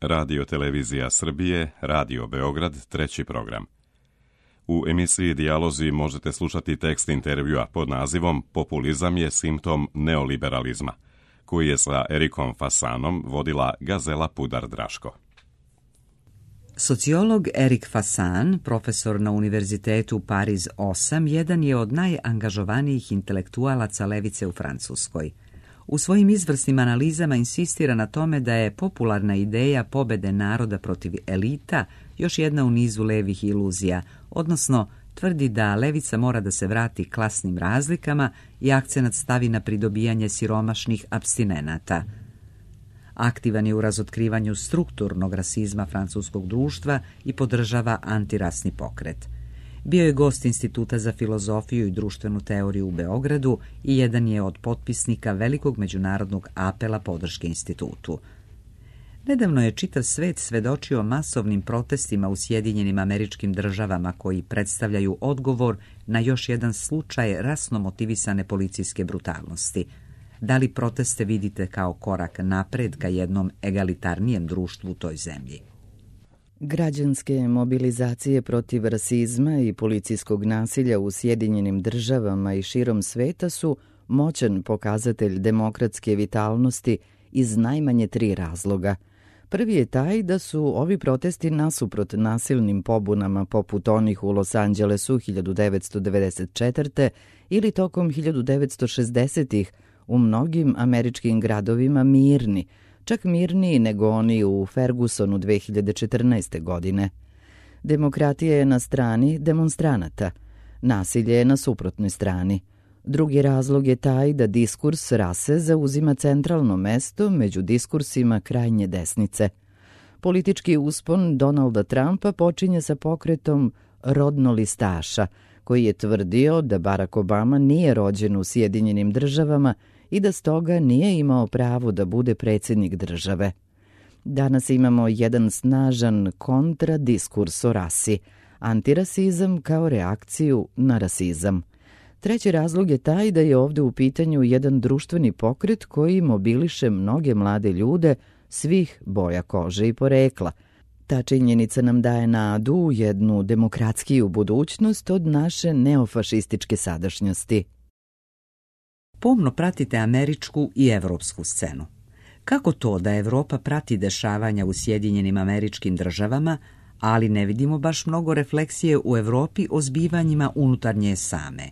Radio Televizija Srbije, Radio Beograd, treći program. U emisiji Dijalozi možete slušati tekst intervjua pod nazivom Populizam je simptom neoliberalizma, koji je sa Erikom Fasanom vodila Gazela Pudar-Draško. Sociolog Erik Fasan, profesor na Univerzitetu Pariz 8, jedan je od najangažovanijih intelektualaca levice u Francuskoj. U svojim izvrsnim analizama insistira na tome da je popularna ideja pobede naroda protiv elita još jedna u nizu levih iluzija, odnosno tvrdi da levica mora da se vrati klasnim razlikama i akcenat stavi na pridobijanje siromašnih apstinenata. Aktivan je u razotkrivanju strukturnog rasizma francuskog društva i podržava antirasni pokret. Bio je gost Instituta za filozofiju i društvenu teoriju u Beogradu i jedan je od potpisnika velikog međunarodnog apela podrške institutu. Nedavno je čitav svet svedočio masovnim protestima u Sjedinjenim Američkim Državama koji predstavljaju odgovor na još jedan slučaj rasno motivisane policijske brutalnosti. Da li proteste vidite kao korak napred ka jednom egalitarnijem društvu u toj zemlji? Građanske mobilizacije protiv rasizma i policijskog nasilja u Sjedinjenim Državama i širom sveta su moćan pokazatelj demokratske vitalnosti iz najmanje 3 razloga. Prvi je taj da su ovi protesti nasuprot nasilnim pobunama poput onih u Los Angelesu 1994. ili tokom 1960-ih u mnogim američkim gradovima mirni, čak mirniji nego oni u Fergusonu 2014. godine. Demokratija je na strani demonstranata, nasilje je na suprotnoj strani. Drugi razlog je taj da diskurs rase zauzima centralno mesto među diskursima krajnje desnice. Politički uspon Donalda Trumpa počinje sa pokretom rodnolistaša, koji je tvrdio da Barack Obama nije rođen u Sjedinjenim Državama i da stoga nije imao pravo da bude predsjednik države. Danas imamo jedan snažan kontradiskurs o rasi, antirasizam kao reakciju na rasizam. Treći razlog je taj da je ovdje u pitanju jedan društveni pokret koji mobiliše mnoge mlade ljude svih boja kože i porekla. Ta činjenica nam daje nadu u jednu demokratskiju budućnost od naše neofašističke sadašnjosti. Pomno pratite američku i evropsku scenu. Kako to da Evropa prati dešavanja u Sjedinjenim Američkim Državama, ali ne vidimo baš mnogo refleksije u Evropi o zbivanjima unutar nje same?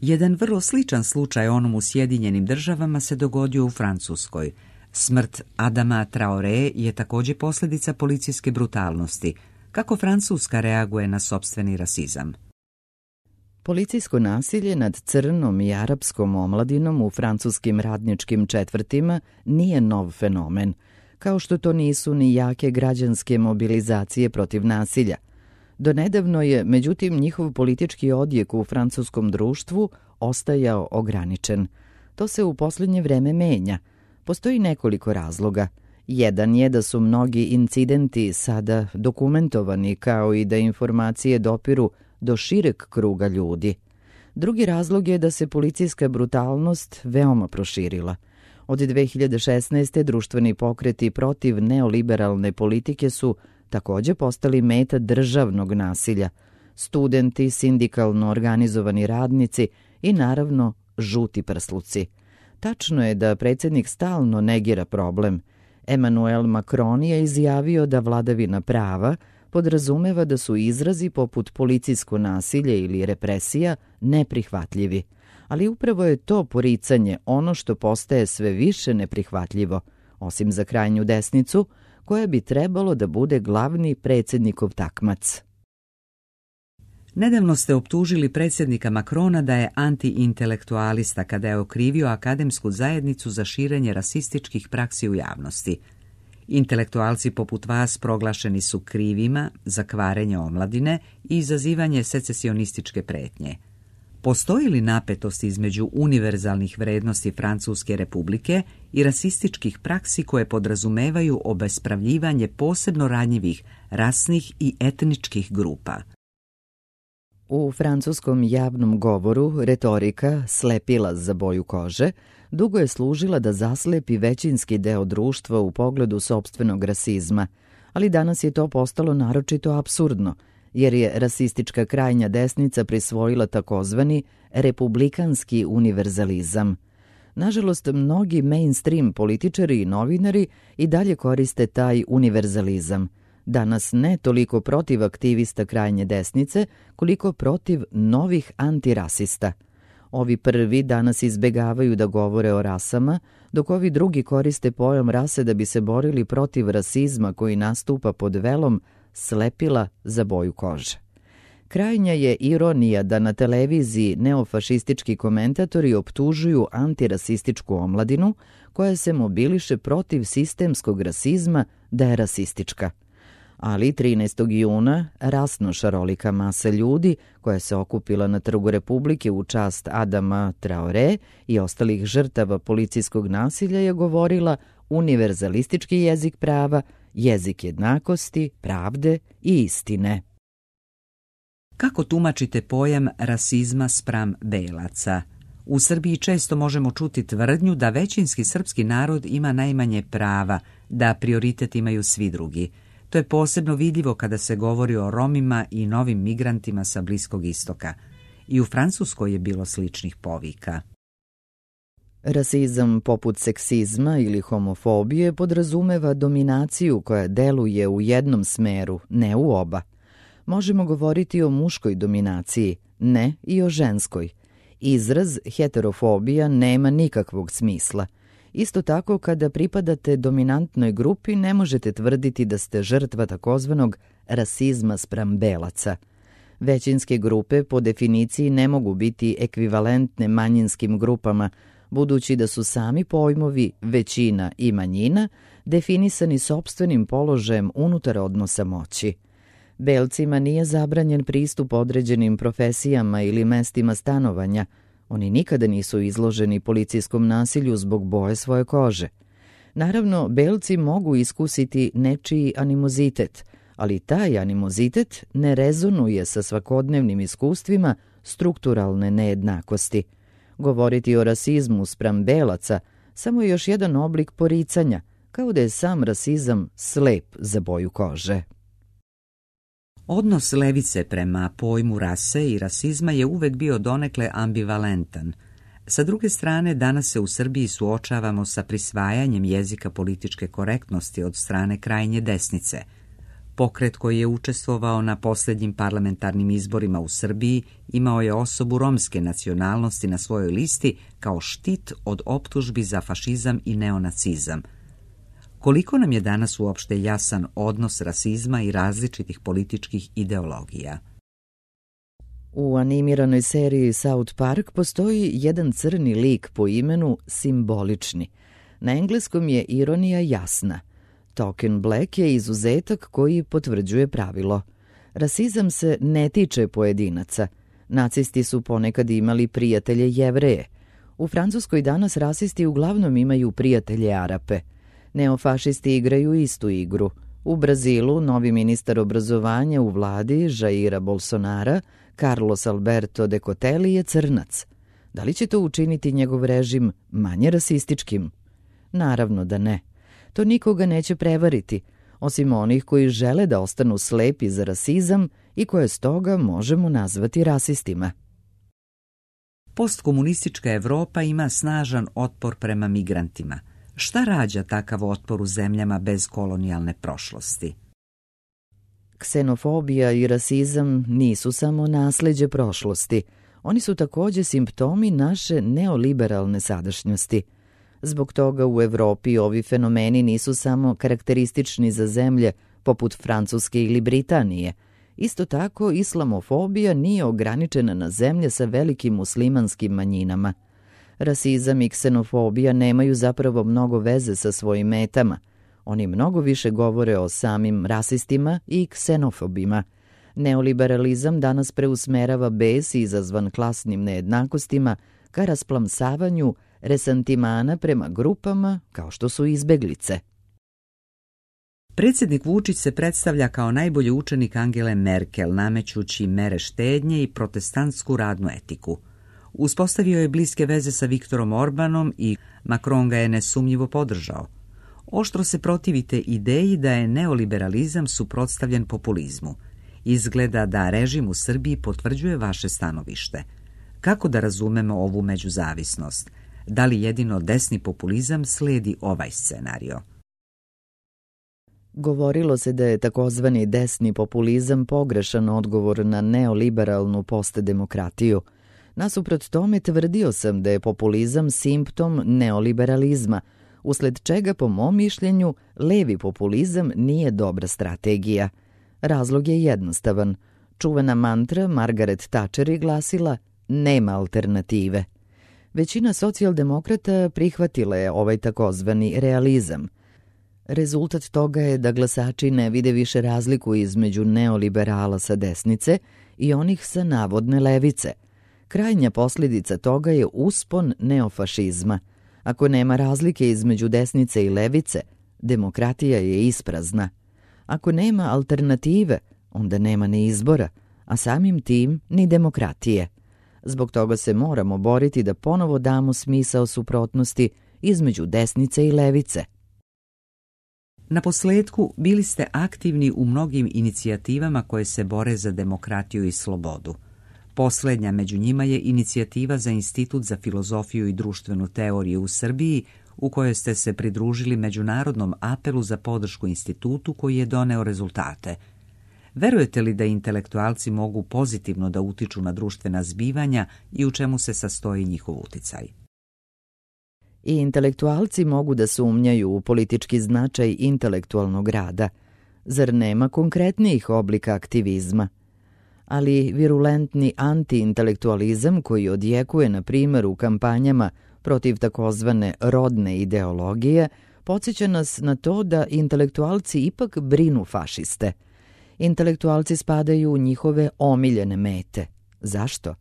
Jedan vrlo sličan slučaj onom u Sjedinjenim Državama se dogodio u Francuskoj. Smrt Adama Traoré je također posljedica policijske brutalnosti. Kako Francuska reaguje na sopstveni rasizam? Policijsko nasilje nad crnom i arapskom omladinom u francuskim radničkim četvrtima nije nov fenomen, kao što to nisu ni jake građanske mobilizacije protiv nasilja. Donedavno je, međutim, njihov politički odjek u francuskom društvu ostajao ograničen. To se u posljednje vreme menja. Postoji nekoliko razloga. Jedan je da su mnogi incidenti sada dokumentovani, kao i da informacije dopiru do šireg kruga ljudi. Drugi razlog je da se policijska brutalnost veoma proširila. Od 2016. društveni pokreti protiv neoliberalne politike su također postali meta državnog nasilja. Studenti, sindikalno organizovani radnici i naravno žuti prsluci. Tačno je da predsjednik stalno negira problem. Emmanuel Macron je izjavio da vladavina prava podrazumeva da su izrazi poput policijsko nasilje ili represija neprihvatljivi. Ali upravo je to poricanje ono što postaje sve više neprihvatljivo, osim za krajnju desnicu, koja bi trebalo da bude glavni predsjednikov takmac. Nedavno ste optužili predsjednika Macrona da je antiintelektualista kada je okrivio akademsku zajednicu za širenje rasističkih praksi u javnosti. Intelektualci poput vas proglašeni su krivima za kvarenje omladine i izazivanje secesionističke pretnje. Postoji li napetost između univerzalnih vrednosti Francuske republike i rasističkih praksi koje podrazumevaju obespravljivanje posebno ranjivih rasnih i etničkih grupa? U francuskom javnom govoru retorika slepila za boju kože dugo je služila da zaslepi većinski deo društva u pogledu sopstvenog rasizma, ali danas je to postalo naročito apsurdno, jer je rasistička krajnja desnica prisvojila takozvani republikanski univerzalizam. Nažalost, mnogi mainstream političari i novinari i dalje koriste taj univerzalizam. Danas ne toliko protiv aktivista krajnje desnice, koliko protiv novih antirasista. Ovi prvi danas izbegavaju da govore o rasama, dok ovi drugi koriste pojam rase da bi se borili protiv rasizma koji nastupa pod velom slepila za boju kože. Krajnja je ironija da na televiziji neofašistički komentatori optužuju antirasističku omladinu koja se mobiliše protiv sistemskog rasizma da je rasistička. Ali 13. juna rasno šarolika masa ljudi koja se okupila na Trgu Republike u čast Adama Traore i ostalih žrtava policijskog nasilja je govorila univerzalistički jezik prava, jezik jednakosti, pravde i istine. Kako tumačite pojam rasizma spram belaca? U Srbiji često možemo čuti tvrdnju da većinski srpski narod ima najmanje prava, da prioritet imaju svi drugi. To je posebno vidljivo kada se govori o Romima i novim migrantima sa Bliskog istoka. I u Francuskoj je bilo sličnih povika. Rasizam poput seksizma ili homofobije podrazumeva dominaciju koja deluje u jednom smeru, ne u oba. Možemo govoriti o muškoj dominaciji, ne i o ženskoj. Izraz heterofobija nema nikakvog smisla. Isto tako, kada pripadate dominantnoj grupi, ne možete tvrditi da ste žrtva takozvanog rasizma spram belaca. Većinske grupe po definiciji ne mogu biti ekvivalentne manjinskim grupama, budući da su sami pojmovi većina i manjina definisani sopstvenim položajem unutar odnosa moći. Belcima nije zabranjen pristup određenim profesijama ili mestima stanovanja. Oni nikada nisu izloženi policijskom nasilju zbog boje svoje kože. Naravno, belci mogu iskusiti nečiji animozitet, ali taj animozitet ne rezonuje sa svakodnevnim iskustvima strukturalne nejednakosti. Govoriti o rasizmu spram belaca samo je još jedan oblik poricanja, kao da je sam rasizam slep za boju kože. Odnos levice prema pojmu rase i rasizma je uvek bio donekle ambivalentan. Sa druge strane, danas se u Srbiji suočavamo sa prisvajanjem jezika političke korektnosti od strane krajnje desnice. Pokret koji je učestvovao na posljednjim parlamentarnim izborima u Srbiji imao je osobu romske nacionalnosti na svojoj listi kao štit od optužbi za fašizam i neonacizam. Koliko nam je danas uopšte jasan odnos rasizma i različitih političkih ideologija? U animiranoj seriji South Park postoji jedan crni lik po imenu Simbolični. Na engleskom je ironija jasna. Token Black je izuzetak koji potvrđuje pravilo. Rasizam se ne tiče pojedinaca. Nacisti su ponekad imali prijatelje Jevreje. U Francuskoj danas rasisti uglavnom imaju prijatelje Arape. Neofašisti igraju istu igru. U Brazilu novi ministar obrazovanja u vladi Jaira Bolsonara, Carlos Alberto Decotelli, je crnac. Da li će to učiniti njegov režim manje rasističkim? Naravno da ne. To nikoga neće prevariti, osim onih koji žele da ostanu slepi za rasizam i koje stoga možemo nazvati rasistima. Postkomunistička Evropa ima snažan otpor prema migrantima. Šta rađa takav otpor u zemljama bez kolonijalne prošlosti? Ksenofobija i rasizam nisu samo nasleđe prošlosti. Oni su također simptomi naše neoliberalne sadašnjosti. Zbog toga u Evropi ovi fenomeni nisu samo karakteristični za zemlje poput Francuske ili Britanije. Isto tako, islamofobija nije ograničena na zemlje sa velikim muslimanskim manjinama. Rasizam i ksenofobija nemaju zapravo mnogo veze sa svojim metama. Oni mnogo više govore o samim rasistima i ksenofobima. Neoliberalizam danas preusmerava bes izazvan klasnim nejednakostima ka rasplamsavanju resantimana prema grupama kao što su izbeglice. Predsjednik Vučić se predstavlja kao najbolji učenik Angele Merkel, namećući mere štednje i protestantsku radnu etiku. Uspostavio je bliske veze sa Viktorom Orbanom i Macron ga je nesumnjivo podržao. Oštro se protivite ideji da je neoliberalizam suprotstavljen populizmu. Izgleda da režim u Srbiji potvrđuje vaše stanovište. Kako da razumemo ovu međuzavisnost? Da li jedino desni populizam slijedi ovaj scenario? Govorilo se da je takozvani desni populizam pogrešan odgovor na neoliberalnu postdemokratiju. Nasuprot tome tvrdio sam da je populizam simptom neoliberalizma, usled čega, po mom mišljenju, levi populizam nije dobra strategija. Razlog je jednostavan. Čuvena mantra Margaret Thatcher je glasila nema alternative. Većina socijaldemokrata prihvatila je ovaj takozvani realizam. Rezultat toga je da glasači ne vide više razliku između neoliberala sa desnice i onih sa navodne levice. Krajnja posljedica toga je uspon neofašizma. Ako nema razlike između desnice i levice, demokratija je isprazna. Ako nema alternative, onda nema ni izbora, a samim tim ni demokratije. Zbog toga se moramo boriti da ponovo damo smisao suprotnosti između desnice i levice. Na posljetku bili ste aktivni u mnogim inicijativama koje se bore za demokratiju i slobodu. Posljednja među njima je inicijativa za Institut za filozofiju i društvenu teoriju u Srbiji, u kojoj ste se pridružili međunarodnom apelu za podršku institutu koji je doneo rezultate. Verujete li da intelektualci mogu pozitivno da utiču na društvena zbivanja i u čemu se sastoji njihov uticaj? I intelektualci mogu da sumnjaju u politički značaj intelektualnog rada. Zar nema konkretnijih oblika aktivizma? Ali virulentni antiintelektualizam koji odjekuje, na primjer, u kampanjama protiv takozvane rodne ideologije, podsjeća nas na to da intelektualci ipak brinu fašiste. Intelektualci spadaju u njihove omiljene mete. Zašto?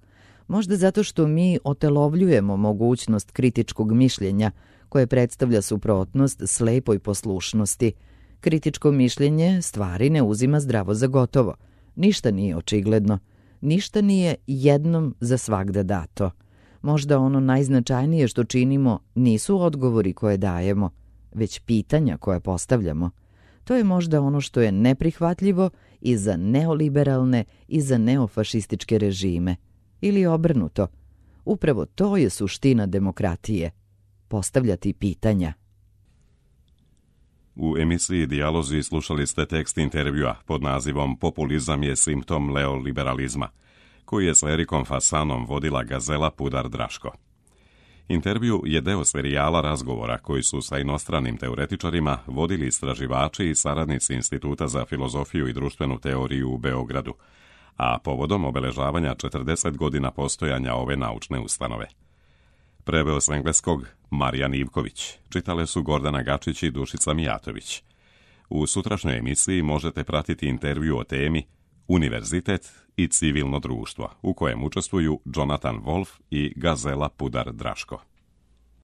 Možda zato što mi otelovljujemo mogućnost kritičkog mišljenja koje predstavlja suprotnost slepoj poslušnosti. Kritičko mišljenje stvari ne uzima zdravo za gotovo. Ništa nije očigledno. Ništa nije jednom za svagda dato. Možda ono najznačajnije što činimo nisu odgovori koje dajemo, već pitanja koje postavljamo. To je možda ono što je neprihvatljivo i za neoliberalne i za neofašističke režime. Ili obrnuto. Upravo to je suština demokratije. Postavljati pitanja. U emisiji Dijalozi slušali ste tekst intervjua pod nazivom Populizam je simptom neoliberalizma, koji je s Erikom Fasanom vodila Gazela Pudar-Draško. Intervju je deo serijala razgovora koji su sa inostranim teoretičarima vodili istraživači i saradnici Instituta za filozofiju i društvenu teoriju u Beogradu, a povodom obeležavanja 40 godina postojanja ove naučne ustanove. Preveo s engleskog Marijan Ivković, čitale su Gordana Gačić i Dušica Mijatović. U sutrašnjoj emisiji možete pratiti intervju o temi Univerzitet i civilno društvo, u kojem učestvuju Jonathan Wolf i Gazela Pudar-Draško.